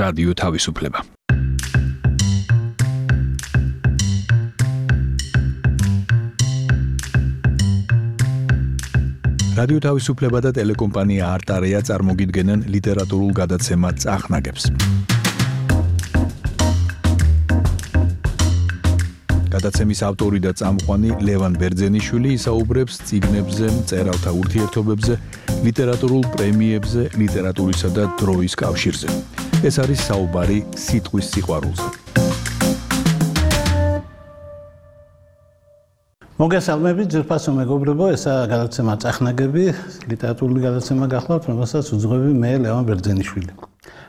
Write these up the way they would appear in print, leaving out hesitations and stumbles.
რადიო თავისუფლება. რადიო თავისუფლება და ტელეკომპანია არტარია წარმოგიდგენენ ლიტერატურულ გადაცემა წახნაგებს. გადაცემის ავტორი და წამყვანი ლევან ბერძენიშვილი ისაუბრებს წიგნებზე, მწერალთა ურთიერთობებზე, ლიტერატურულ პრემიებზე, ლიტერატურისა და დროის კავშირზე. ეს არის საუბარი სიტყვის სიყვარულზე. მოგესალმებით, ძვირფასო მეგობრებო, ესაა გადაცემა წახნაგები, ლიტერატურული გადაცემა გახლავთ, რომელსაც უძღვები მე ლევან ბერძენიშვილი.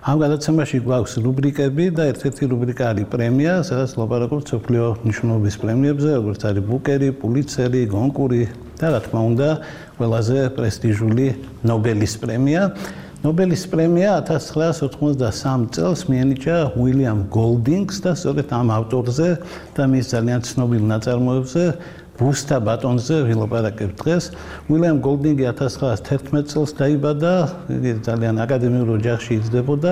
ამ გადაცემაში გვაქვს რუბრიკები და ერთ-ერთი რუბრიკა არის პრემია, სადაც ლაპარაკობთ მსოფლიო მნიშვნელობის პრემიებზე, როგორც არის ბუკერი, პულიცერი, გონკური და რა თქმა უნდა, ყველაზე პრესტიჟული ნობელის პრემია. ნობელის პრემია 1983 წელს მიენიჭა უილიამ გოლდინგს და სწორედ ამ ავტორზე და მის ძალიან ცნობილ ნაწარმოებზე ბუსტა ბატონზე ვილაპარაკებთ დღეს. უილიამ გოლდინგი 1911 წელს დაიბადა, იგი ძალიან აკადემიურ ოჯახში იზრდებოდა,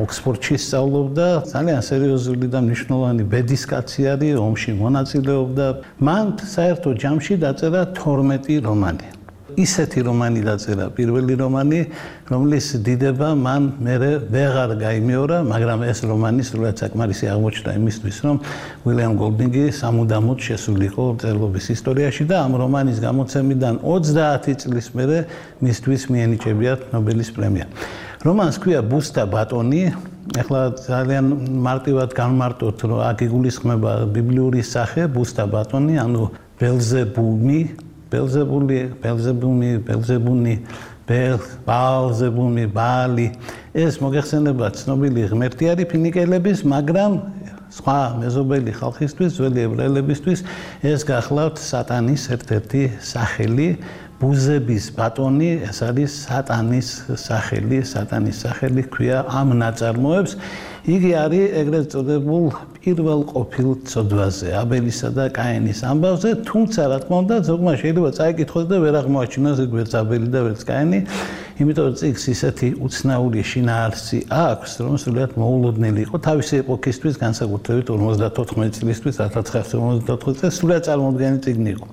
ოქსფორდში სწავლობდა, ძალიან სერიოზული და მნიშვნელოვანი ბედის კაცი არის, ომში მონაწილეობდა. მან საერთო ჯამში დაწერა 12 რომანი. ისეთი რომანი დაწერა, პირველი რომანი, რომლის დიდება მან მერე ვეღარ გაიმეორა, მაგრამ ეს რომანი სრულად საკმარისი აღმოჩნდა იმისთვის, რომ უილიამ გოლდინგი სამუდამოდ შესულიყო მწერლობის ისტორიაში და ამ რომანის გამოცემიდან 30 წლის მერე მისთვის მიენიჭებიათ ნობელის პრემია. რომანს ქვია ბუსტა ბატონი, ეხლა ძალიან მარტივად განმარტოთ, რომ აქ იგულისხმება ბიბლიური სახე ბუსტა ბატონი, ანუ ბელზებული, ბაალი. ეს მოგეხსენება ცნობილი ღმერთი არის ფინიკელების, მაგრამ სხვა მეზობელი ხალხისთვის, ძველი ებრაელებისთვის ეს გახლავთ სატანის ერთ-ერთი სახელი. ბუზების ბატონი, ეს არის სატანის სახელი ქვია ამ ნაწარმოებს. იგი არის ეგრეთ წოდებულ პირველ ყოფილ ცოდვაზე, აბელისა და კაენის ამბავზე, თუმცა რა თქმა უნდა, ზოგმა შეიძლება წაიკითხოს და ვერ აღმოაჩინოს ეგ ვერც აბელი და ვერც კაენი, იმიტომ რომ წიგნს ისეთი უცნაური შინაარსი აქვს, რომ სრულიად მოულოდნელი იყო თავისი ეპოქისთვის, განსაკუთრებით 54 წლისთვის, 1954 წელს სრულიად წარმოუდგენელი წიგნი იყო.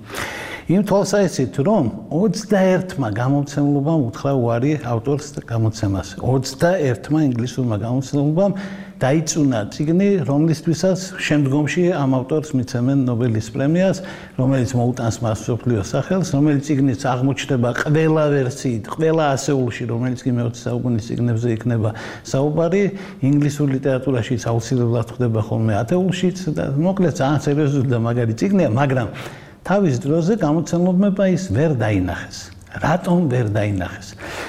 იმ თვალსაჩინით, რომ 21-მა გამომცემლობამ უთხრა უარი ავტორს გამოცემას. 21-მა ინგლისურმა გამომცემლობამ დაიწუნა წიგნი, რომლისთვისაც შემდგომში ამ ავტორს მიცემენ ნობელის პრემიას, რომელიც მოუტანს მას მსოფლიო სახელს, რომელიც წიგნიც აღმოჩნდება ყველა ვერსიით, ყველა ასეულში, რომელიც კი მე-20 საუკუნის წიგნებზე იქნება საუბარი, ინგლისურ ლიტერატურაშიც აუცილებლად ხდება ხოლმე ათეულშიც და მოკლედ ძალიან სერიოზული და მაგარი წიგნია, მაგრამ თავის დროზე გამოცემლებმა ის ვერ დაინახეს. რატომ ვერ დაინახეს?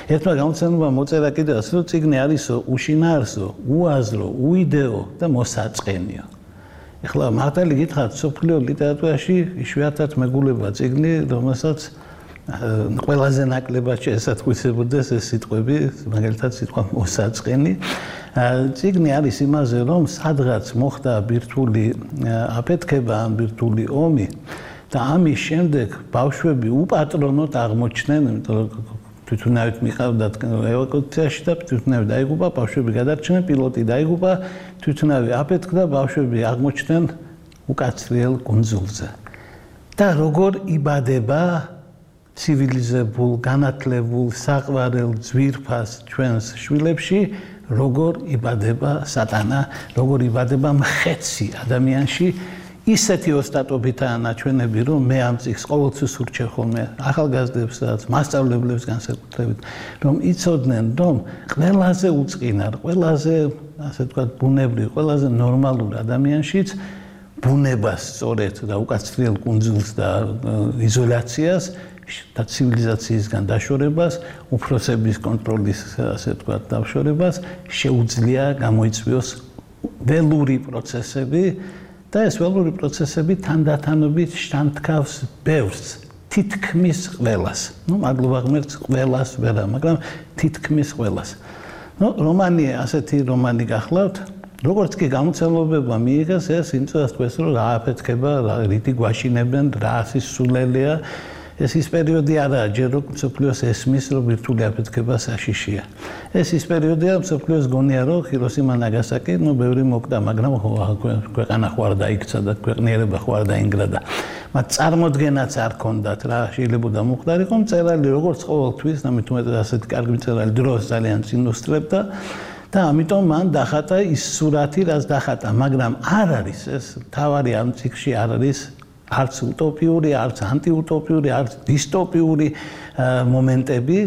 ერთმა გამოცემლებამ მოწერა კიდევაც, რომ წიგნი არისო უშინაარსო, უაზრო, უიდეო და მოსაწყენიო. ეხლა მართალი გითხრათ, მსოფლიო ლიტერატურაში იშვიათად მეგულება წიგნი, რომელსაც ყველაზე ნაკლებად შეესატყვისებოდეს ეს სიტყვები, მაგალითად სიტყვა მოსაწყენი. წიგნი არის იმაზე, რომ სადღაც მოხდა ბირთვული აფეთქება, ბირთვული ომი. და ამის შემდეგ ბავშვები უპატრონოდ აღმოჩნდნენ, იმიტომ რომ თვითონავით მიყავდათ ევაკუაციაში და თვითონავით დაიღუპა, ბავშვები გადარჩნენ, პილოტი დაიღუპა, თვითონავი აფეთქდა, ბავშვები აღმოჩნდნენ უკაცრიელ კუნძულზე. და როგორ იბადება ცივილიზებულ, განათლებულ, საყვარელ ძვირფას ჩვენს შვილებში, როგორ იბადება სატანა, როგორ იბადება მხეცი ადამიანში, ისეთი ოსტატობითაა ნაჩვენები, რომ მე ამ წიგნს ყოველთვის ურჩევ ხოლმე ახალგაზრდებსაც, მასწავლებლებს განსაკუთრებით, რომ იცოდნენ, რომ ყველაზე უწყინარ, ყველაზე, ასე ვთქვათ, ბუნებრივ, ყველაზე ნორმალურ ადამიანშიც ბუნებას სწორედ და უკაცრიელ კუნძულს და იზოლაციას და ცივილიზაციისგან დაშორებას, უფროსების კონტროლის, ასე ვთქვათ, დაშორებას შეუძლია გამოიწვიოს ველური პროცესები. და ეს ველური პროცესები თანდათანობით შთანთქავს ბევრს, თითქმის ყველას. მადლობა ღმერთს, ყველას ვერა, მაგრამ თითქმის ყველას. რომანი, ასეთი რომანი გახლავთ, როგორც კი გამოცემლებმა მიიღეს, ეს იმ წელს თქვეს, რომ რა აფეთქება, რითი გვაშინებენ, რა სისულელეა. ეს ის პერიოდი არაა, ჯერ რომ მსოფლიოს ესმის, რომ ბირთვული აფეთქება საშიშია. ეს ის პერიოდია, მსოფლიოს გონია, რომ ჰიროსიმა ნაგასაკი, ბევრი მოკდა, მაგრამ ქვეყანა ხوار დაიქცა და ქვეყნიერება ხوار დაინგრა. მათ წარმოდგენაც არ ქონდათ, რა შეიძლება მოხდარიყო, მწერალი როგორც ყოველთვის, ნამდვილად ასეთი კარგი მწერალი დროს ძალიან წინუსწრებდა და ამიტომ მან დახატა ის სურათი, რაც დახატა, მაგრამ არ არის ეს თავარი ამ ციკლში არ არის არც უტოპიური, არც ანტიუტოპიური, არც დისტოპიური მომენტები.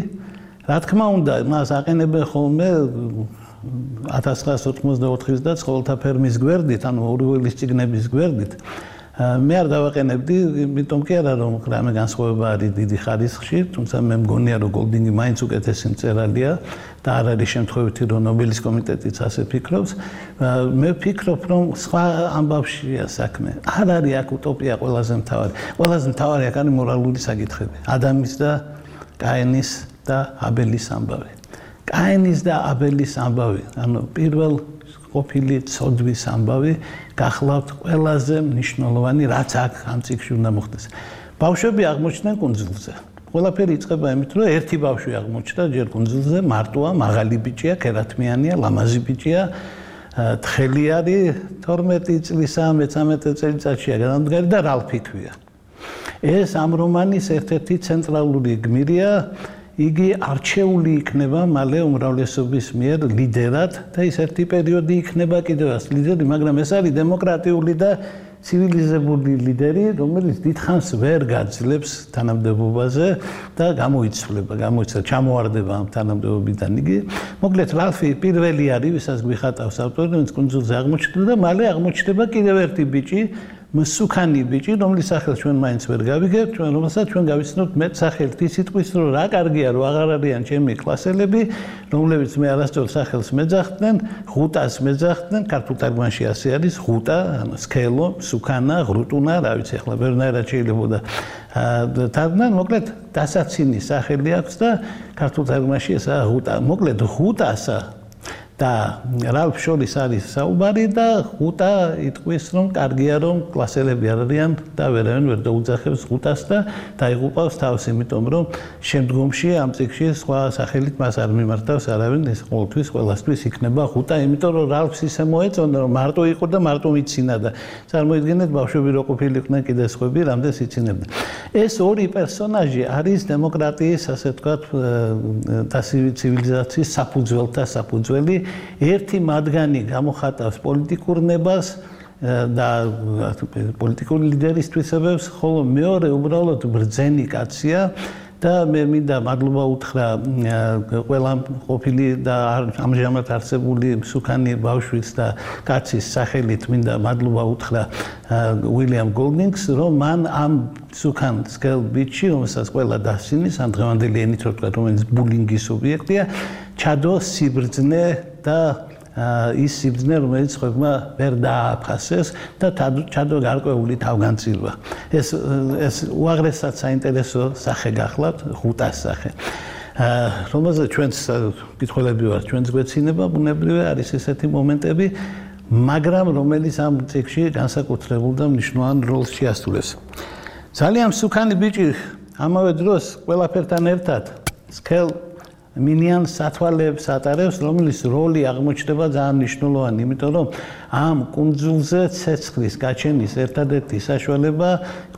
რა თქმა უნდა, მას აყენებენ ხოლმე 1984-ის და ცხოველთა ფერმის გვერდით, ანუ ორიველის წიგნების გვერდით. მე არ დავაყენებდი, იმიტომ კი არა რომ რამე განსხვავება არის დიდი ხარისხში, თუმცა მე მგონია რომ გოლდინგი მაინც უკეთესი მწერალია და არ არის შემთხვევითი რომ ნობელის კომიტეტიც ასე ფიქრობს. მე ვფიქრობ რომ სხვა ამბავშია საქმე. არ არის აქ უტოპია ყველაზე მთავარი. ყველაზე მთავარი აქ არის მორალური საკითხები. ადამის და კაენის და აბელის ამბავი. კაენის და აბელის ამბავი, ანუ პირველ ყოფილი ცოდვის ამბავი გახლავთ ყველაზე მნიშვნელოვანი, რაც აქ ამ ციკლში უნდა მოხდეს. ბავშვები აღმოჩნდნენ კუნძულზე. ყველაფერი იწყება იმით, რომ ერთი ბავშვი აღმოჩნდა ჯერ კუნძულზე, მარტოა, მაღალი ბიჭია, კერათმიანია, ლამაზი ბიჭია, თხელი არის 12 წლისა, 13 წელიწადშია განადგარი და რალფი ქვია. ეს ამ რომანის ერთ-ერთი ცენტრალური გმირია. იგი არჩეული იქნება მალე უმრავლესობის მიერ ლიდერად და ის ერთი პერიოდი იქნება კიდევ ლიდერი, მაგრამ ეს არის დემოკრატიული და ცივილიზებული ლიდერი, რომელიც დიდხანს ვერ გაძლებს თანამდებობაზე და გამოიცვლება, ჩამოواردება ამ თანამდებობიდან იგი. მოკლედ, რალფი პირველი არის, ვისაც გვიხატავს ავტორი, რომელიც კუნძულზე აღმოჩნდა და მალე აღმოჩნდება კიდევ ერთი ბიჭი, მსუქანი ბიჭი, რომლის სახელს ჩვენ მაინც ვერ გავიგებთ, რომელსაც ჩვენ გავიცნობთ მეტ სახელით ის სიტყვის, რომ რა კარგია, რომ აღარ არიან ჩემი კლასელები, რომლებიც მე არასდროს სახელს მეძახდნენ, ღუტას მეძახდნენ, ქართულ თარგმანში ასე არის, ღუტა, ანუ სქელო, მსუქანა, ღრუტუნა, რა ვიცი, ახლა ვერნაირად შეიძლება თარგმნან, მოკლედ დასაცინი სახელი აქვს და ქართულ თარგმანში ესაა ღუტა. მოკლედ ღუტასა და რალფ შორის არის საუბარი და ღუტა იტყვის რომ კარგია რომ კლასელები არ არიან და ვერავინ ვერ დაუძახებს ღუტას და დაიღუპავს თავს, იმიტომ რომ შემდგომში ამ ციკლში სხვა სახელით მას არ მიმართავს არავინ, ეს ყოველთვის ყველასთვის იქნება ღუტა, იმიტომ რომ რალფს ისე მოეწონა რომ მარტო იყო და მარტო მიცინა და წარმოიდგინეთ ბავშვები რო ყოფილიყვნენ კიდე სხვები რამდენს იცინებდნენ. ეს ორი პერსონაჟი არის დემოკრატიის, ასე ვთქვათ, და ცივილიზაციის საფუძველთა საფუძველი. ერთი მათგანი გამოხატავს პოლიტიკურ ნებას და პოლიტიკური ლიდერის თვისებებს, ხოლო მეორე უბრალოდ ბრძენი კაცია და მე მინდა მადლობა უთხრა ყველა ყოფილი და ამჟამად არსებული მსუქანი ბავშვის და კაცის სახელით მინდა მადლობა უთხრა უილიამ გოლდინგს, რომ მან ამ მსუქან სქელ ბიჭში, რომელსაც ყველა დასცინის, ამ დღევანდელი ენით რო ვთქვათ, რომელიც ბულინგის ობიექტია, ჩადო სიბრძნე და ის სიბრძნე, რომელიც ხებმა ვერ დააფასეს და ჩადო გარკვეული თავგანწირვა. ეს უაღრესად საინტერესო სახე გახლავთ, ღუტას სახე. რომელზეც ჩვენს კითხველები ვართ, ჩვენს გვეცინება, ბუნებრივია არის ესეთი მომენტები, მაგრამ რომელიც ამ ციკლში განსაკუთრებულ და მნიშვნელოვან როლს შეასრულებს. ძალიან მსუქანი ბიჭი ამავე დროს ყველაფერთან ერთად სქელ მინიან სათვალეებს ატარებს, რომლის როლი აღმოჩნდება ძალიან მნიშვნელოვანი, იმიტომ რომ ამ კუნძულზე ცეცხლის გაჩენის ერთადერთი საშუალება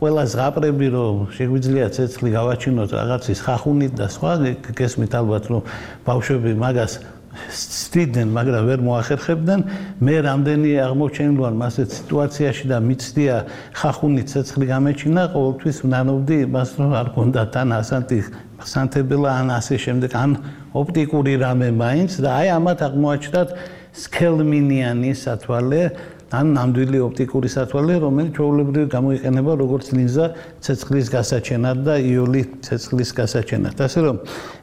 ყველა ზღაპრები, რომ შეგვიძლია ცეცხლი გავაჩინოთ რაღაცის ხახუნით და სხვა, გესმით ალბათ, რომ ბავშვები მაგას სცდიდნენ, მაგრამ ვერ მოახერხებდნენ. მე რამდენი აღმოჩენილვარ მასეთ სიტუაციაში და მიცდია ხახუნით ცეცხლი გამეჩინა, ყოველთვის ვნანობდი იმას, რომ არ გონდა თან ასანტი სანთებელა ან ასე შემდეგ, ან ოპტიკური რამე მაინც და აი ამათ აღმოაჩნდათ სქელმინიანი სათვალე, ან ნამდვილი ოპტიკური სათვალე, რომელიც ჩვეულებრივ გამოიყენება როგორც ლინზა ცეცხლის გასაჩენად და იული ცეცხლის გასაჩენად. ასე რომ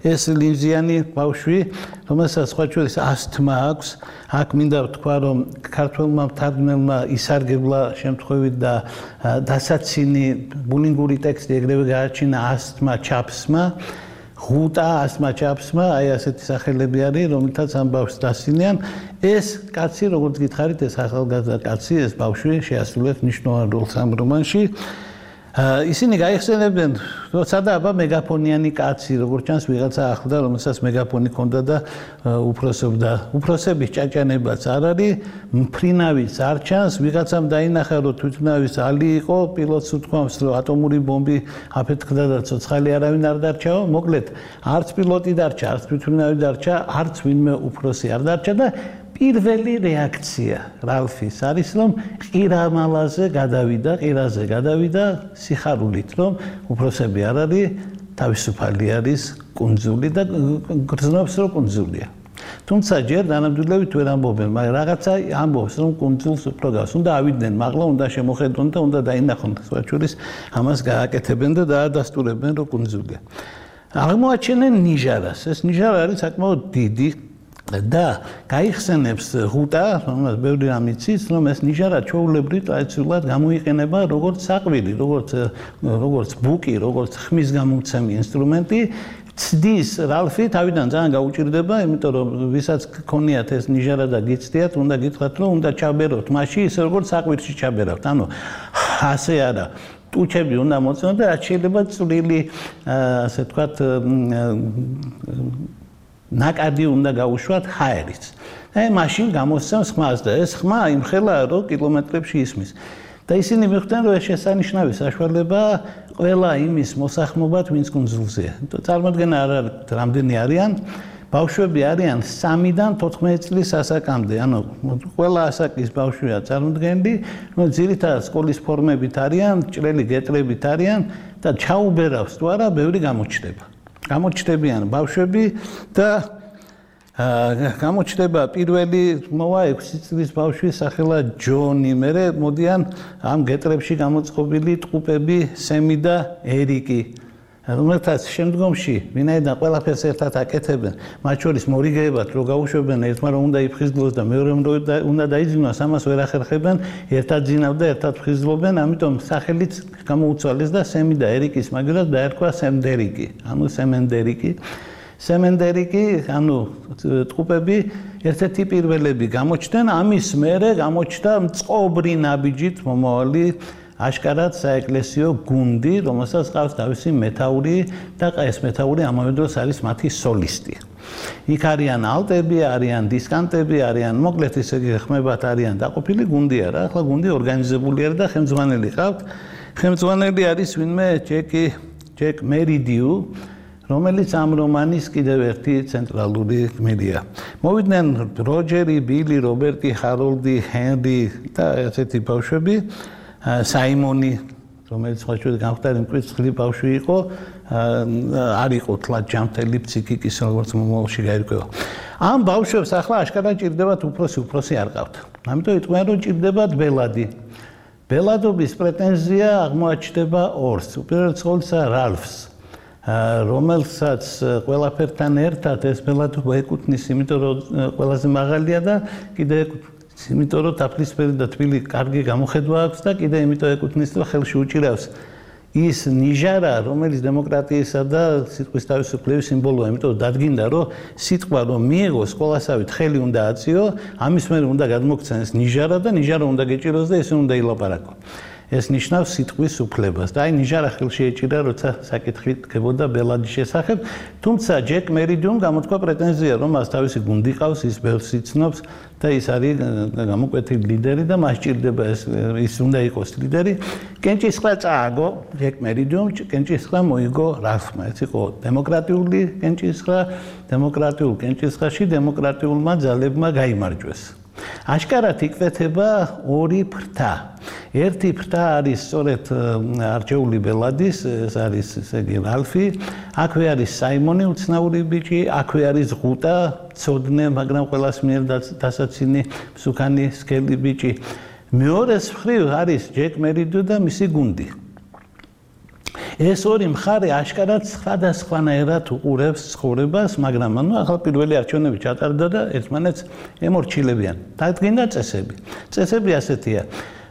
ეს ლინზიანი ბავშვი, რომელსაც სხვა შორის ასთმა აქვს, აქ მინდა ვთქვა, რომ ქართველმა მთარგმნელმა ისარგებლა შემთხვევით და დასაცინი ბულინგური ტექსტი ეგრევე გააჩინა ასთმა ჩაფსმა, ღუტა ასთმა ჩაფსმა, აი ასეთი სახელები არის, რომელთაც ამ ბავშვს დასცინიან. ეს კაცი, როგორც გითხარით, ეს ახალგაზრდა კაცი, ეს ბავშვი შეასრულებს მნიშვნელოვან როლს ამ რომანში. ისინი გაიხსენებდნენ, რომ სადაა მეგაფონიანი კაცი, როგორც ჩანს ვიღაცა ახლდა, რომელსაც მეგაფონი ჰქონდა და უფროსობდა. უფროსების ჭაჭანებაც არ არის, მფრინავიც არ ჩანს, ვიღაცამ დაინახა, რომ თვითმფრინავის ალი იყო, პილოტს უთქვამს, რომ ატომური ბომბი აფეთქდა და ცოცხალი არავინ არ დარჩაო. მოკლედ, არც პილოტი დარჩა, არც თვითმფრინავი დარჩა, არც ვინმე უფროსი არ დარჩა და პირველი რეაქცია რალფის არის, რომ ყირამალაზე გადავიდა სიხარულით, რომ უფროსები არ არის, თავისუფალი არის კუნძული და გრძნობს, რომ კუნძულია. თუმცა ჯერ დანამდვილებით ვერ ამბობენ, მაგრამ რაღაცა ამბობს, რომ კუნძულს უფრო გავს. უნდა ავიდნენ, მაღლა უნდა შემოხედონ და უნდა დაინახონ, სხვაჩურის ამას გააკეთებენ და დაადასტურებენ, რომ კუნძულია. აღმოაჩენენ ნიჟარას. ეს ნიჟარა არის საკმაოდ დიდი და გაიხსენებს ღუტა, რომელსაც ბევრი რამ იცის, რომ ეს ნიჟარა ჩვეულებრივ ტრადიციულად გამოიყენება როგორც საყვილი, როგორც ბუკი, როგორც ხმის გამომცემი ინსტრუმენტი. ცდის რალფი თავიდან ძალიან გაუჭირდება, იმიტომ რომ ვისაც გქონიათ ეს ნიჟარა და გიცდიათ, უნდა გითხრათ, რომ უნდა ჩაბეროთ მასში ისე როგორც საყვირში ჩაბერავთ. ანუ ასე არა. ტუჩები უნდა მოწმოთ და რაც შეიძლება წვრილი, ასე ვთქვათ, ნაკადი უნდა გაუშვათ ჰაერით. აი მაშინ გამოსცემს ხმას და ეს ხმა იმხელა, რომ კილომეტრებში ისმის. და ისინი მიხვდნენ, რომ ეს შესანიშნავი საშუალება ყველა იმის მოსახმობად, ვინც კუნძულზეა. წარმოდგენა არ არის, რამდენი არიან. ბავშვები არიან 3-დან 14 წლის ასაკამდე. ანუ ყველა ასაკის ბავშვია წარმოდგენილი, რომ ძირითადად სკოლის ფორმებით არიან, ჭრელი გეტრებით არიან და ჩაუბერავს თუ არა, ბევრი გამოჩნდება. გამოჩნდებიან ბავშვები და გამოჩნდება პირველი მოვა 6 წლის ბავშვი სახელად ჯონი. მერე მოდიან ამ გეტრებში გამოწყობილი ტყუპები სემი და ერიკი. რომელთაც შემდგომში ვინაიდან ყველაფერს ერთად აკეთებენ, მათ შორის მორიგეებად რო გაუშვებენ, ერთმა რომ უნდა იფხიზლოს და მეორემ რომ უნდა დაიძინოს, ამას ვერ ახერხებენ, ერთად ძინავ და ერთად ფხიზლობენ, ამიტომ სახელიც გამოუცვალეს და სემი და ერიკის მაგალითად დაერქვა სემდერიკი, ანუ სემენდერიკი. სემენდერიკი, ანუ ტყუპები ერთ-ერთი პირველები გამოჩნდნენ, ამის მერე გამოჩნდა მწყობრი ნაბიჯით მომავალი აშკარად საეკლესიო გუნდი, რომელსაც ყავს თავისი მეთაური და ეს მეთაური ამავე დროს არის მათი სოლისტი. იქ არიან ალტები, არიან დისკანტები, არიან მოკლედ ისე ხმებად არიან დაყოფილი გუნდი არა, ახლა გუნდი ორგანიზებული არა და ხელმძღვანელი ყავთ. ხელმძღვანელი არის ვინმე ჯეკ მერიდიუ, რომელიც ამ რომანის კიდევ ერთი ცენტრალური გმირია. მოვიდნენ როჯერი, ბილი, რობერტი, ჰაროლდი, ჰენრი და ესეთი ბავშვები. საიმონი, რომელიც ხოჭუდი გამختარი მკვიდრი ბავშვი იყო, არ იყო თლად ჯამთელი ფსიქიკის როგორც მომავალში გაირკვევა. ამ ბავშვებს ახლა აშკარად ჭირდებათ უფროსი არ ყავთ. ამიტომ იტყვიან, რომ ჭირდებათ ბელადი. ბელადობის პრეტენზია აღმოაჩნდება ორს. უპირველეს ყოვლისა რალფს, რომელსაც ყველაფერთან ერთად ეს ბელადობა ეკუთვნის, იმიტომ რომ ყველაზე მაღალია და კიდე იმიტომ რომ თაფლისფერი და თბილი კარგი გამოხედვა აქვს და კიდე იმიტომ ეკუთვნის, რომ ხელში უჭირავს ის ნიჟარა, რომელიც დემოკრატიისა და სიტყვის თავისუფლების სიმბოლოა, იმიტომ რომ დადგინდა, რომ სიტყვა რომ მიიღო სკოლასავით ხელი უნდა აწიო, ამის მერე უნდა გადმოგცემს ნიჟარა და ნიჟარა უნდა გეჭიროს და ისე უნდა ილაპარაკო. ეს ნიშნავს სიტყვის უფლებას და აი ნიჟარა ხელში ეჭირა, როცა საკითხი დგებოდა ბელადის შესახებ, თუმცა ჯეკ მერიდიუმ გამოთქვა პრეტენზია, რომ მას თავისი გუნდი ყავს, ის ბევრს იცნობს და ის არის გამოკვეთილი ლიდერი და მას ჭირდება ის უნდა იყოს ლიდერი. კენჭისყრა წააგო ჯეკ მერიდიუმ, კენჭისყრა მოიგო რალფმა. ეს იყო დემოკრატიული კენჭისყრა, დემოკრატიულ კენჭისყრაში დემოკრატიულმა ძალებმა გაიმარჯვეს. აშკარად იკვეთება ორი ფრთა. ერთი ფრთა არის სწორედ არჩეული ბელადის, ეს არის ესე იგი რალფი, აქვე არის საიმონი უცნაური ბიჭი, აქვე არის ღუტა, ცოდნე, მაგრამ ყველას მიერ დასაცინი მსუქანი სქელი ბიჭი. მეორეს მხრივ არის ჯეკ მერიდიუ და მისი გუნდი. ეს ორი მხარე აშკარად სხვადასხვანაირად უყურებს ცხოვრებას, მაგრამ ანუ ახლა პირველი არჩევნები ჩატარდა და ერთმანეთს ემორჩილებიან. დადგინდა წესები. წესები ასეთია.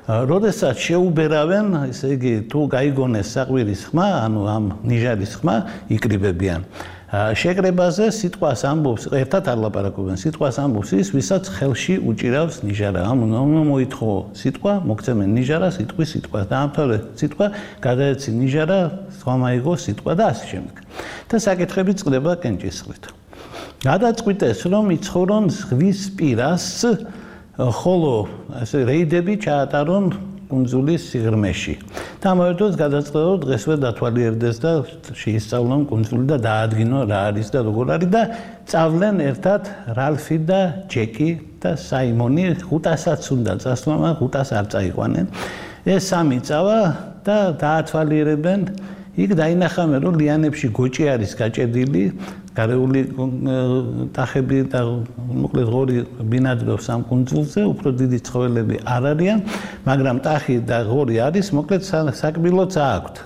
როდესაც შეუბერავენ, ესე იგი, თუ გაიგონეს საყვირის ხმა, ანუ ამ ნიჟარის ხმა, იკრიბებიან. შეკრებაზე სიტყვას ამბობს, ერთად არ ლაპარაკობენ, სიტყვას ამბობს ის, ვისაც ხელში უჭირავს ნიჟარა. მოითხოვ სიტყვა, მოგცემენ ნიჟარა, სიტყვა, დაამთავრე სიტყვა, გადაეცი ნიჟარა, სხვა მაიგო სიტყვა და ასე შემდეგ. და საკითხები წყდება კენჭისყრით. გადაწყვიტეს, რომ იცხოვრონ ზღვის პირას, ხოლო ასე რეიდები ჩაატარონ კუნძულის სიღრმეში. და ამავე დროს გადაწყდა, რომ დღესვე დათვალიერდეს და შეისწავლონ კუნძული და დაადგინონ რა არის და როგორ არის და წავლენ ერთად რალფი და ჯეკი და საიმონი 500-აც უნდა წასვლან, 500-ს არ წაიყვანენ. ეს სამი წავა და დაათვალიერებენ. იქ დაინახავენ, რომ ლიანებში გოჭი არის გაჭედილი, გარეული ტახები და მოკლედ ღორი ბინადრობს ამ კუნძულზე, უფრო დიდი ცხოველები არ არიან, მაგრამ ტახი და ღორი არის, მოკლედ საკბილოც აქვთ.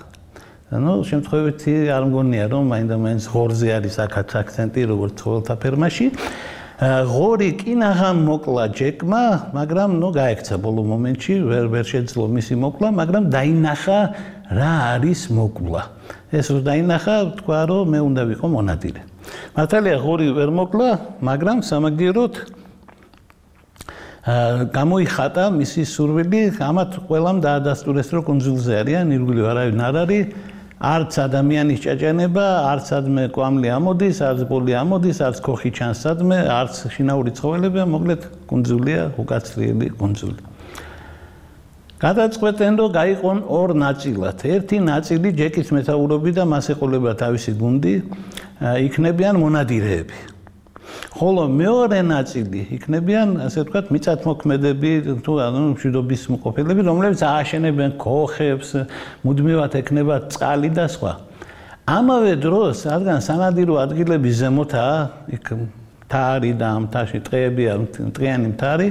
ანუ შემთხვევით არ მგონია, რომ მაინდა-მაინც ღორზე არის აქაც აქცენტი, როგორც ცხოველთა ფერმაში. ღორი კინაღამ მოკლა ჯეკმა, მაგრამ გაექცა ბოლო მომენტში, ვერ შეძლო მისი მოკლა, მაგრამ დაინახა რა არის მოკლა. ეს რო დაინახა, თქვა, რომ მე უნდა ვიყო მონადირე. მართალია ღორი ვერ მოკლა, მაგრამ სამაგიეროდ გამოიხატა მისი სურვილი, ამათ ყველამ დაადასტურეს, რომ კუნძულზე არიან, ირგვლივ არავინ არ არის, არც ადამიანის ჭაჭანება, არც სადმე კვამლი ამოდის, არც ბოლი ამოდის, არც ქოხი ჩანს სადმე, არც შინაური ცხოველებია, მოკლედ კუნძულია უკაცრიელი კუნძული. გადაწყვეტენ, რომ გაიყონ ორ ნაწილად. ერთი ნაწილი ჯეკის მეთაურობით და მას ეყოლებოდა თავისი გუნდი, იქნებიან მონადირეები. ხოლო მეორე ნაწილი იქნებიან, ასე ვთქვათ, მიწათმოქმედები თუ ანუ მშვიდობის მოყოფილები, რომლებიც ააშენებენ ქოხებს, მუდმივად ექნება წყალი და სხვა. ამავე დროს, რადგან სანადირო ადგილების ზემოთაა, იქ მთარი და ამ მთაში ტყეებია, ტყიანი მთარი,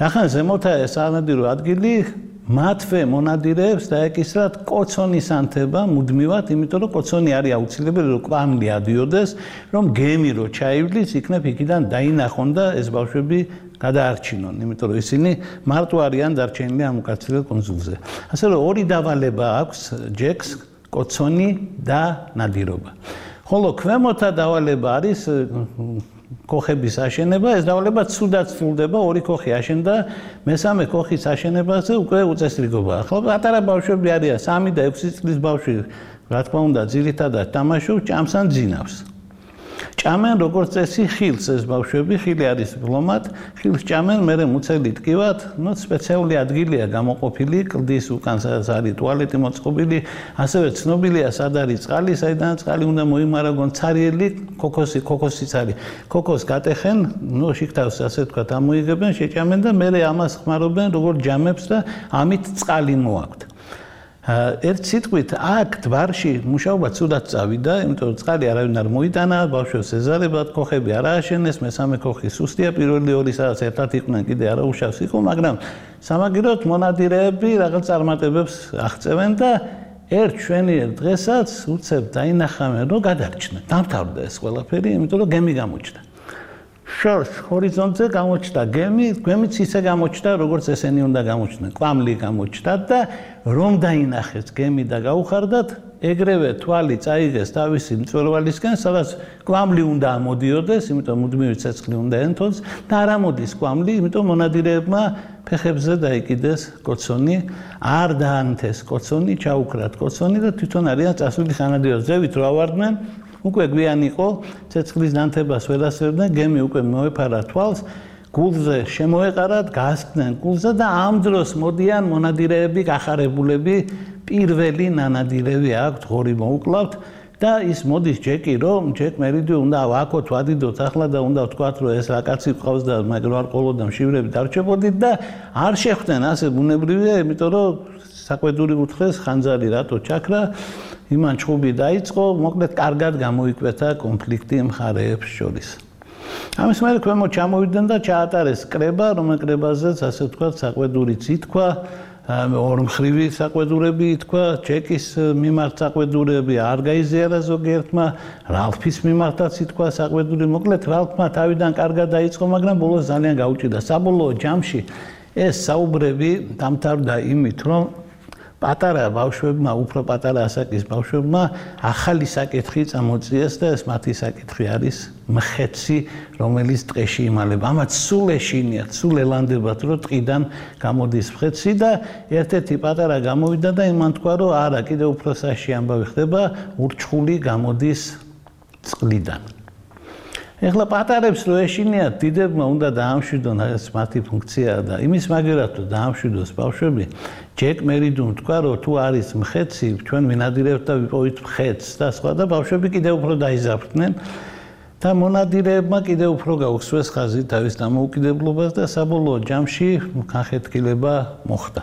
ახლა ზემოთაა ეს სანადირო ადგილი, მათვე მონადირეებს დაეკისრათ კოცონის ანთება მუდმივად, იმიტომ რომ კოცონი არის აუცილებელი, რომ კვამლი ადიოდეს, რომ გემი რო ჩაივლის, იქნებ იქიდან დაინახონ და ეს ბავშვები გადაარჩინონ, იმიტომ რომ ისინი მარტო არიან დარჩენილი ამ უკაცრიელ კუნძულზე. ასე რომ ორი დავალება აქვს ჯეკს, კოცონი და ნადირობა. ხოლო ქვემოთა დავალება არის ქოხების აშენება, ეს დავალება ცუდად სრულდება, ორი ქოხი აშენდა, მესამე ქოხის აშენებაზე უკვე უწესრიგობაა. ახლა პატარა ბავშვები არიან, 3 და 6 წლის ბავშვი, რა თქმა უნდა, ძირითადად თამაშობს, ჭამს ან ძინავს. ჭამენ როგორც წესი ხილს ეს ბავშვები, ხილი არის ბლომად, ხილს ჭამენ, მერე მუცელი ტკივათ, სპეციალური ადგილია გამოყოფილი, კლდის უკან სადაც არის ტუალეტი მოწყობილი, ასევე ცნობილია სად არის წყალი, საიდანაც წყალი უნდა მოიმარაგონ, ცარიელი ქოქოსიც არის. ქოქოს გატეხენ, შიგთავს ასე ვთქვათ, ამოიღებენ, შეჭამენ და მერე ამას ხმარობენ როგორც ჯამებს და ამით წყალი მოაქვთ. ერთ სიტყვით აქ დვარში მუშაობა ცუდად წავიდა, იმიტომ რომ წყალი არავინ არ მოიტანა, ბავშვებს ეზარებათ, ქოხები არ ააშენეს, მესამე ქოხი სუსტია, პირველი ორი სადაც ერთად იყვნენ, კიდე არა უშავს იყო, მაგრამ სამაგიეროდ მონადირეები რაღაც წარმატებებს აღწევენ და ერთ შვენიერ დღესაც უცებ დაინახავენ, რომ გადარჩნენ. დამთავრდა ეს ყველაფერი, იმიტომ რომ გემი გამოჩნდა. შორს ჰორიზონტზე გამოჩნდა გემიც ისე გამოჩნდა, როგორც ესენი უნდა გამოჩნდნენ. კვამლი გამოჩნდა და რომ დაინახეს გემი და გაუხარდათ, ეგრევე თვალი წაიღეს თავისი მწვერვალისკენ, სადაც კვამლი უნდა ამოდიოდეს, იმიტომ მუდმივი ცეცხლი უნდა ენტოს და არ ამოდის კვამლი, იმიტომ მონადირეებმა ფეხებზე დაიკიდეს კოცონი, არ დაანთეს კოცონი, ჩაუქრათ კოცონი და თვითონ არიან წასული სანადირო ზევით რო ავარდნენ. უკვე გვიან იყო, ცეცხლის დანთებას ვერ ასწრებდნენ, გემი უკვე მოეფარა თვალს, გულზე შემოეყარათ, გასცდნენ გულზე და ამ დროს მოდიან მონადირეები, გახარებულები, პირველი ნანადირევი აქვთ, ღორი მოუკლავთ და ის მოდის ჯეკი, რომ ჯეკ მერიდი უნდა ვაკოთ, ვადიდოთ ახლა და უნდა ვთქვათ, რომ ეს რა კაცი ყავს და მაგრამ არ ყოლოდა მშივრები დარჩებოდით და არ შეხვდნენ ასე ბუნებრივია, იმიტომ რომ საკვედური უთხრეს ხანძარი რატო ჩაქრა, იმან ჩხუბი დაიწყო, მოკლედ კარგად გამოიკვეთა კონფლიქტი მხარეებს შორის. ამის მერე ქვემოთ ჩამოვიდნენ და ჩაატარეს კრება, რომელ კრებაზეც ასე ვთქვათ, საკვედურიც ითქვა, ორმხრივი საკვედურები ითქვა, ჯეკის მიმართ საკვედურები არ გაიზიარა ზოგიერთმა, რალფის მიმართაც ითქვა საკვედური, მოკლედ რალფმა თავიდან კარგად დაიწყო, მაგრამ ბოლოს ძალიან გაუჭირდა. საბოლოო ჯამში ეს საუბრები დამთავრდა იმით, რომ პატარა ბავშვებმა, უფრო პატარა ასაკის ბავშვებმა ახალი საკითხი წამოწიეს და ეს მათი საკითხი არის მხეცი, რომელიც ტყეში იმალება. ამათ სულ ეშინიათ, სულ ელანდებათ, რომ ტყიდან გამოდის მხეცი და ერთ-ერთი პატარა გამოვიდა და იმან თქვა, რომ არა, კიდევ უფრო საში ამბავი ხდება, ურჩხული გამოდის წყლიდან. ეხლა პატარებს რო ეშინიათ, დიდებმა უნდა დაამშვიდონ ეს მათი ფუნქციაა და იმის მაგერად რომ დაამშვიდოს ბავშვები, ჯეკ მერიდუმ თქვა, რომ თუ არის მხეცი, ჩვენ ვინადირებთ და ვიპოვით მხეცს და სხვა და ბავშვები კიდევ უფრო დაიზარდნენ და მონადირეებმა კიდევ უფრო გაუხსვეს ხაზი თავის დამოუკიდებლობას და საბოლოო ჯამში განხეთქილება მოხდა.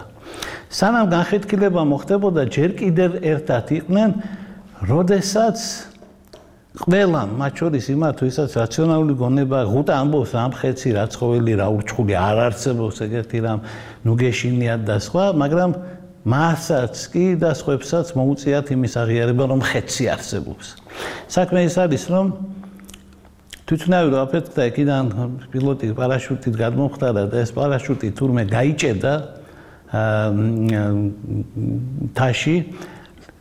სანამ განხეთქილება მოხდებოდა, ჯერ კიდევ ერთად იყვნენ, როდესაც ყველამ, მათ შორის იმათ, ვისაც რაციონალური გონება ღუტა ამბობს, რა მხეცი, რა ცხოველი, რა ურჩხული არ არსებობს ეგეთი რამ, ნუ გეშინიათ და სხვა, მაგრამ მასაც კი და სხვებსაც მოუწიათ იმის აღიარება, რომ მხეცი არსებობს. საქმე ის არის, რომ თვითნავი რო აფეთქდა იქიდან პილოტი პარაშუტით გადმომხდარა და ეს პარაშუტი თურმე გაიჭედა თაში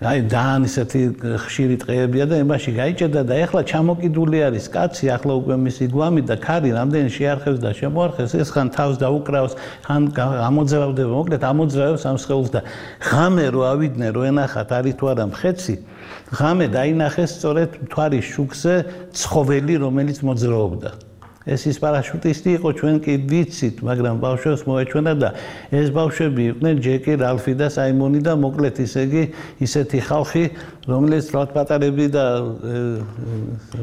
აი ძალიან ისეთი ხშირი ტყეებია და ემბაში გაიჭედა და ეხლა ჩამოკიდული არის კაცი, ახლა უკვე მისი გვამი და ქარი რამდენი შეარხევს და შემოარხევს, ეს ხან თავს დაუკრავს, ხან ამოძრავდება, მოკლედ ამოძრავებს ამ სხეულს და ღამე რო ავიდნენ, რო ენახათ არის თუ არა მხეცი, ღამე დაინახეს სწორედ მთვარის შუქზე ცხოველი, რომელიც მოძრაობდა. ეს ის პარაშუტისტი იყო, ჩვენ კი ვიცით, მაგრამ ბავშვებს მოეჩვენა და ეს ბავშვები იყვნენ ჯეკი, რალფი და საიმონი და მოკლედ ისე იგი ისეთი ხალხი, რომელიც რა პატარები და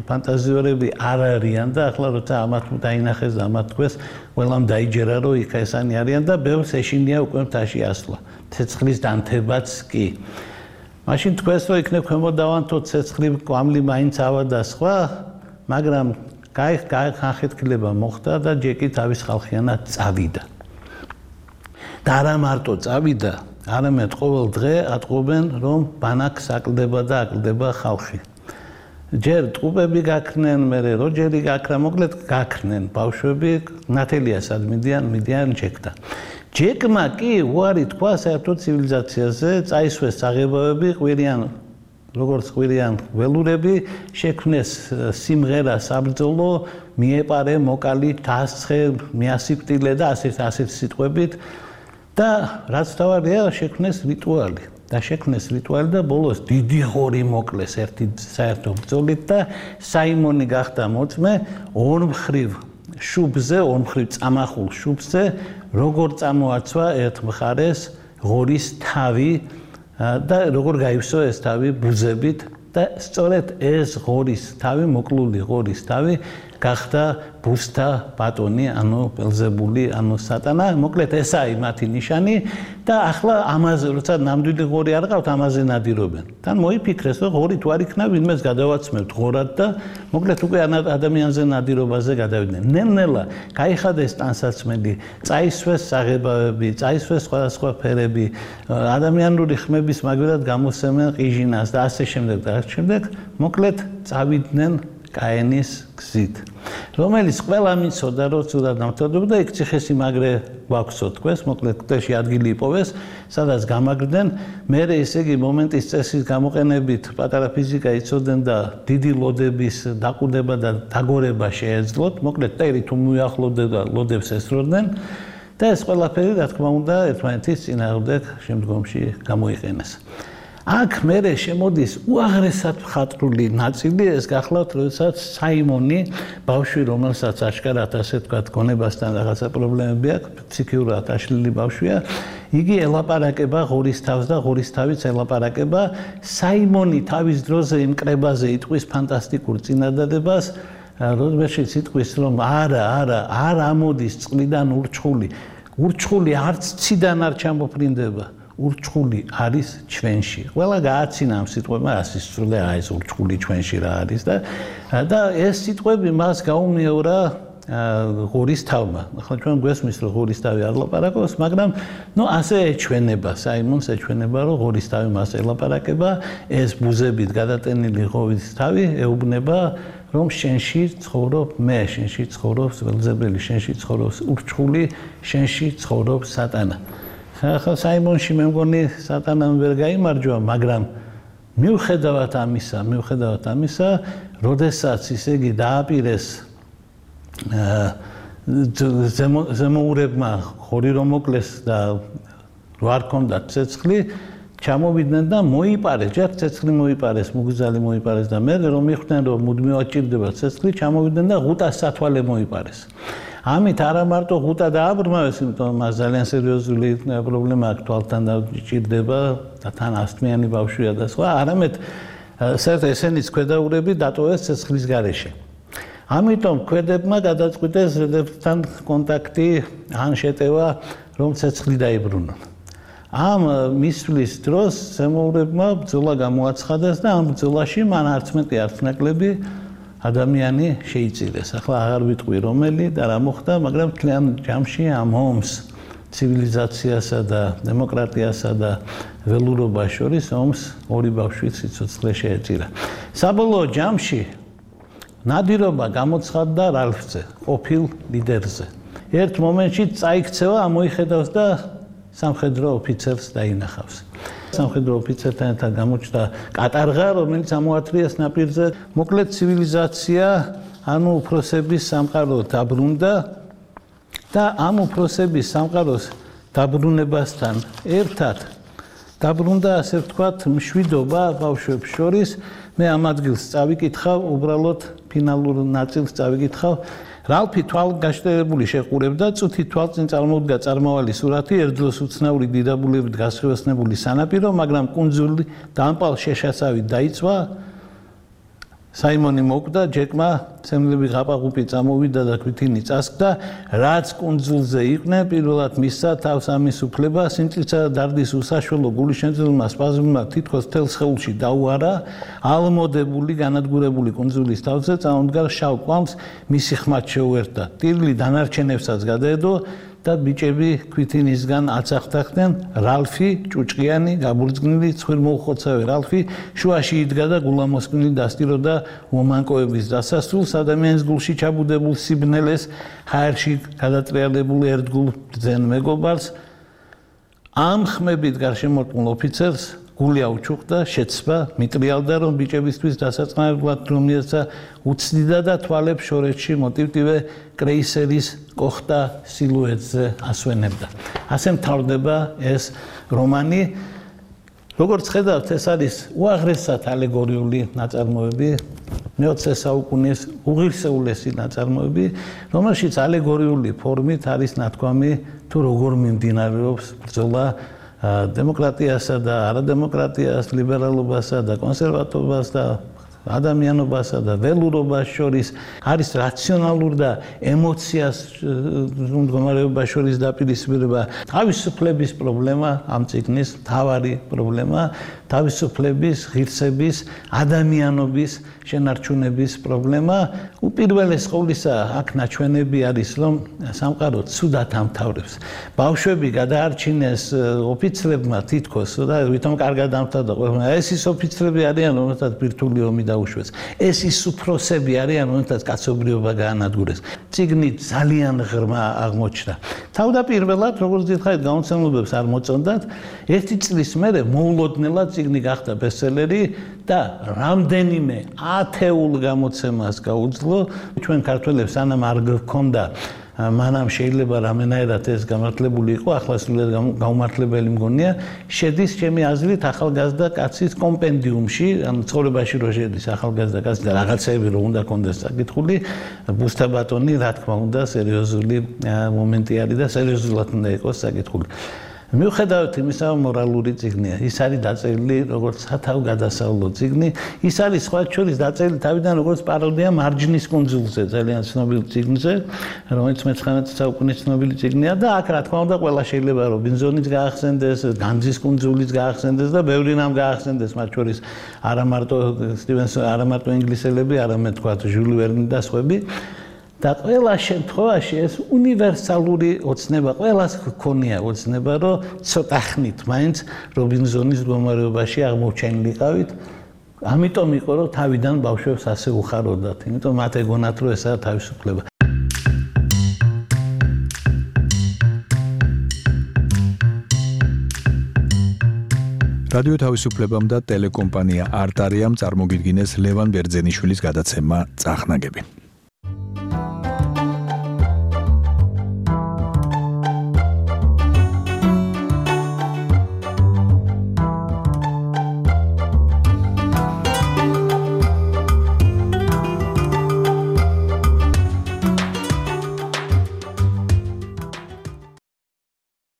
ფანტაზიორები არ არიან და ახლა როცა ამათ დაინახეს და ამათ თქვეს, ყველამ დაიჯერა, რომ იქ ესანი არიან და ბევრს ეშინია უკვე მთაში ასვლა. ცეცხლის დანთებაც კი. მაშინ თქვეს, რომ იქნებ ქვემოდავანთო ცეცხლი, კვამლი მაინც ავა და სხვა, მაგრამ განხეთქილება მოხდა და ჯეკი თავის ხალხიანად წავიდა. და არა მარტო წავიდა, არამედ ყოველ დღე ატყობენ, რომ ბანაკს აკლდება და აკლდება ხალხი. ჯერ ტყუპები გაქრნენ, მერე როჯერი გაქრა, მოკლედ გაქრნენ ბავშვები, ნათელიასად მიდიან ჯეკთან. ჯეკმა კი უარი თქვა საერთო ცივილიზაციაზე, წაისვეს საღებავები, ყვირიან როგორც ყვირიან ველურები, შექმნეს სიმღერა საბრძოლო, მიეპარე, მოკალი, დასცხე, მიასიკვდილე და ასეთ სიტყვებით და რაც თავარია, შექმნეს რიტუალი. და შექმნეს რიტუალი და ბოლოს დიდი ღორი მოკლეს ერთი საერთო ბრძოლით და საიმონი გახდა მოწმე ორმხრივ შუბზე, ორმხრივ წამახულ შუბზე, როგორ წამოაცვა ერთ მხარეს ღორის თავი და როგორ გაივსო ეს თავი ბუზებით და სწორედ ეს ღორის თავი, მოკლული ღორის თავი გახდა ბუსთა ბატონი, ანუ ბელზებული, ანუ სატანა, მოკლედ ესაა მათი ნიშანი და ახლა ამაზე როცა ნამდვილი ღორი არ ყავთ, ამაზე ნადირობენ. თან მოიფიქრეს, რომ ღორი თუ არ იქნა, ვინმეს გადავაცმევთ ღორად და მოკლედ უკვე ადამიანზე ნადირობაზე გადავიდნენ. ნელ-ნელა გაიხადეს ტანსაცმელი, წაისვეს საღებავები, წაისვეს სხვადასხვა ფერები, ადამიანური ხმების მაგერად გამოსცემენ ყიჟინას და ასე შემდეგ და ასე შემდეგ, მოკლედ წავიდნენ კაენის გზით, რომელიც ყველა მიცოდა, რომ ცუდად დამთავრდებოდა, იქ ციხესიმაგრე გვაქვსო თქვეს, მოკლედ კვეთში ადგილი იპოვეს, სადაც გამაგრდნენ, მერე ესე იგი მომენტის წესის გამოყენებით პატარა ფიზიკა იცოდნენ და დიდი ლოდების დაყუდება და დაგორება შეეძლოთ, მოკლედ ტერი თუ მიახლოვდნენ და ლოდებს ესროდნენ და ეს ყველაფერი, რა თქმა უნდა, ერთმანეთის წინააღმდეგ შემდგომში გამოიყენეს. აქ მერე შემოდის უაღრესად მხატვრული ნაწილი, ეს გახლავთ, როდესაც საიმონი, ბავშვი, რომელსაც აშკარად ასე თქვა, გონებასთან რაღაცა პრობლემები აქვს, ფსიქიურად აშლილი ბავშვია, იგი ელაპარაკება ღორის თავს და ღორის თავიც ელაპარაკება. საიმონი თავის დროზე იმ კრებაზე იტყვის ფანტასტიკურ წინადადებას, რომელშიც იტყვის, რომ არ ამოდის წყლიდან ურჩხული. ურჩხული არც ციდან არ ჩამოფრინდება. ურჩხული არის ჩვენში. ყველა გააცინა ამ სიტყვებმა, ასისწრდა ეს ურჩხული ჩვენში რა არის და ეს სიტყვები მას გაუმეორა ღორის თავმა. ახლა ჩვენ გვესმის, რომ ღორის თავი არ ლაპარაკობს, მაგრამ ასე ეჩვენება, საიმონს ეჩვენება, რომ ღორის თავი მას ელაპარაკება, ეს ბუზებით გადატენილი ღორის თავი ეუბნება, რომ შენში ცხოვრობ მე, შენში ცხოვრობს ველზებელი, შენში ცხოვრობს ურჩხული, შენში ცხოვრობს სატანა. ხა საიმონში მე მგონი სატანამ ვერ გაიმარჯვა, მაგრამ მიუხედავად ამისა, როდესაც ისე იგი დააპირეს ზემოურებმა ხორი რომ მოკლეს და რო არ ქონდათ ცეცხლი, ჩამოვიდნენ და მოიპარეს, ჯერ ცეცხლი მოიპარეს, მუგზალი მოიპარეს და მე რომ მიხვდნენ რომ მუდმივად ჭირდება ცეცხლი, ჩამოვიდნენ და ღუტას სათვალე მოიპარეს. ამით არა მარტო ღუტა დააბრმავეს, იმიტომ მას ძალიან სერიოზული პრობლემა აქვს, თვალთან დაჭირდება და თან ასთმიანი ბავშვია და სხვა, არამედ ესენიც ქვედაურები დატოვეს ცეცხლის გარეშე. ამიტომ ქვედებმა გადაწყვიტეს ზედებთან კონტაქტი ან შეტევა, რომ ცეცხლი დაიბრუნონ. ამ მისვლის დროს ზემოურებმა ბრძოლა გამოაცხადეს და ამ ბრძოლაში მან არც მეტი არც ნაკლები ადამიანი შეიწირეს. ახლა აღარ ვიტყვი რომელი და რა მოხდა, მაგრამ თლიან ჯამში ამ ომს ცივილიზაციასა და დემოკრატიასა და ველურობას შორის ომს ორი ბავშვი სიცოცხლე შეეწირა. საბოლოო ჯამში ნადირობა გამოცხადდა რალფზე, ყოფილ ლიდერზე. ერთ მომენტში წაიქცევა, ამოიხედავს და სამხედრო ოფიცერს დაინახავს. სამხედრო ოფიცერთან ერთად გამოჩნდა კატარღა, რომელიც ამოათრიეს ნაპირზე. მოკლედ ცივილიზაცია, ანუ უფროსების სამყარო დაბრუნდა და ამ უფროსების სამყაროს დაბრუნებასთან ერთად დაბრუნდა, ასე ვთქვათ, მშვიდობა ბავშვებს შორის. მე ამ ადგილს წავიკითხავ, უბრალოდ ფინალურ ნაწილს წავიკითხავ. რალფი თვალგაშტერებული შეყურებდა, წუთი თვალწინ წარმოუდგა წარმავალი სურათი, ერთ დროს უცნაური დიდაბულებით გასხივესნებული სანაპირო, მაგრამ კუნძული დამპალ შეშასავით დაიწვა. საიმონი მოკვდა, ჯეკმა ცემლები ღაპაღუპი წამოვიდა და ქვითინი წასკდა, რაც კუნძულზე იყვნენ, პირველად მისცა თავს ამის უფლება, სიმწირსა და დარდის უსაშველო გულიშემძლებელმა სპაზმებმა თითქოს მთელ სხეულში დაუარა, ალმოდებული, განადგურებული კუნძულის თავზე წამოდგა შავ კვამს, მისი ხმად შეუერთდა. ტირილი დანარჩენებსაც გადაედო და ბიჭები ქვითინისგან აცახთახდნენ. რალფი, ჭუჭყიანი, გაბურძგნილი, ცხვირმოუხოცავი რალფი შუაში იდგა და გულამოსკვნილი დასტიროდა მომანკოების დასასრულს, ადამიანის გულში ჩაბუდებულ სიბნელეს, ჰაერში გადატრიალებულ ერთგულ ბრძენ მეგობარს. ამ ხმებით გარშემორტყმულ ოფიცერს გული აუჩუქდა, შეცვა, მიტრიალდა, რომ ბიჭებისთვის დასაწყნარებლად რომლიაცა უცდიდა და თვალებს შორეთში მოტივტივე კრეისერის კოხტა სილუეტზე ასვენებდა. ასე მთავრდება ეს რომანი. როგორც ხედავთ, ეს არის უაღრესად ალეგორიული ნაწარმოები, მე-20 საუკუნის უღირსეულესი ნაწარმოები, რომელშიც ალეგორიული ფორმით არის ნათქვამი თუ როგორ მიმდინარეობს ბრძოლა დემოკრატიასა და არადემოკრატიას, ლიბერალობასა და კონსერვატორობას და ადამიანობასა და ველურობას შორის, არის რაციონალურ და ემოციას მდგომარეობას შორის დაპირისპირება. თავისუფლების პრობლემა ამ წიგნის მთავარი პრობლემა, თავისუფლების, ღირსების, ადამიანობის შენარჩუნების პრობლემა. უპირველეს ყოვლისა აქ ნაჩვენები არის, რომ სამყარო ცუდად ამთავრებს. ბავშვები გადაარჩინეს ოფიცრებმა თითქოს და ვითომ კარგად ამთავრდა ყველაფერი. ეს ის ოფიცრები არიან, რომელთაც ბირთვული ომი დაუშვეს. ეს ის უფროსები არიან, რომელთაც კაცობრიობა გაანადგურეს. წიგნი ძალიან ღრმა აღმოჩნდა. თავდაპირველად, როგორც დიდხანს გამოცემლობებს არ მოწონდათ, ერთი წლის მერე მოულოდნელად წიგნი გახდა ბესტსელერი და რამდენიმე ათეულ გამოცემას გაუძლო. ჩვენ ქართველებს სანამ არ გქონდა, მანამ შეიძლება რამენაერად ეს გამართლებული იყო, ახლა სულად გაუმართლებელი მგონია, შედის ჩემი აზრით ახალგაზრდა კაცის კომპენდიუმში, ანუ ცხოვრებაში რო შედის ახალგაზრდა კაცი და რაღაცეები რო უნდა კონდეს საკითხული, ბუსთა ბატონი, რა თქმა უნდა, სერიოზული მომენტი არის და სერიოზულად უნდა იყოს საკითხული. მიუხედავად იმისა, მორალური წიგნია. ის არის დაწერილი როგორც სათავგადასავლო წიგნი. ის არის სხვა შორის დაწერილი თავიდან როგორც პაროდია მარჯნის კუნძულზე, ძალიან ცნობილ წიგნზე, რომელიც 19 საუკუნის ცნობილი წიგნია და აქ რა თქმა უნდა ყველა შეიძლება რობინზონის გაახსენდეს, განძის კუნძულის გაახსენდეს და ბევრი რამ გაახსენდეს, მათ შორის არა მარტო სტივენსონი, არა მარტო ინგლისელები, არამედ თქვა ჟული ვერნი და სხვები. და ყველა შემთხვევაში ეს უნივერსალური ოცნება, ყველას გქონია ოცნება, რომ ცოტა ხნით მაინც რობინზონის მდგომარეობაში აღმოჩენილიყავით. ამიტომ იყო, რომ თავიდან ბავშვებს ასე უხაროდათ, იმიტომ მათ ეგონათ, რომ ესაა თავისუფლება. რადიო თავისუფლებამ და ტელეკომპანია არტარიამ წარმოგიდგინეს ლევან ბერძენიშვილის გადაცემა წახნაგები.